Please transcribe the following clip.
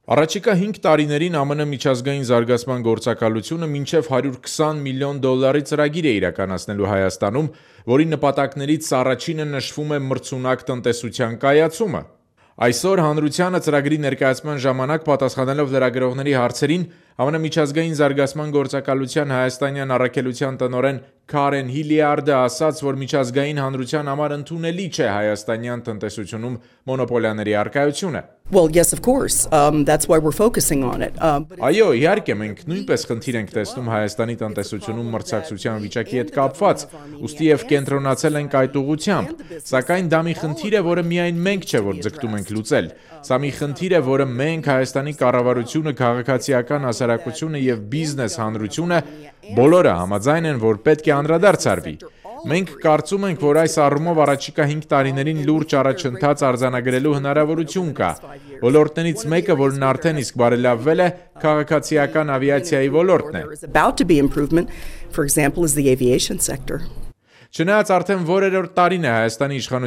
Առաջիկա 5 տարիներին ԱՄՆ միջազգային զարգացման գործակալությունը մինչև $120 միլիոն ծրագիր է իրականացնելու Հայաստանում, որի նպատակներից առաջինը նշվում է մրցունակ տնտեսության կայացումը։ Այսօր հանրությանը ծրագրի ներկայացման ժամանակ պատասխանելով լրագրողների հարցերին ԱՄՆ միջազգային զարգացման գործակալության հայաստանյան առաքելության տնօրեն Քարեն Հիլիարդը ասաց, որ միջազգային հանրության համար ընդունելի չէ հայաստանյան տնտեսությունում մոնոպոլիաների առկայությունը։ Well, yes, of course. That's why we're focusing on it. Այո, իհարկե, մենք նույնպես խնդիր ենք տեսնում Հայաստանի տնտեսությունում մրցակցության վիճակի հետ կապված, ուստի եւ կենտրոնացել ենք այդ ուղղությամբ, սակայն դա մի խնդիր է, որը միայն մենք չէ, որ ձգտում ենք լուծել։ Սա մի խնդիր է, որը մենք Հայաստանի կառավարությունը, քաղաքացիական հասարակությունը եւ բիզնես հանրությունը բոլորը համաձայն են, որ պետք է անդրադարձ արվի։ Մենք կարծում ենք, որ այս առումով առաջիկա 5 տարիներին լուրջ առաջընթաց արձանագրելու հնարավորություն կա։ Ոլորտներից մեկը, որն արդեն իսկ բարելավվել է, քաղաքացիական ավիացիայի ոլորտն է։ Չնայած արդեն որերորդ տարին է Հայաստանի իշխանությունը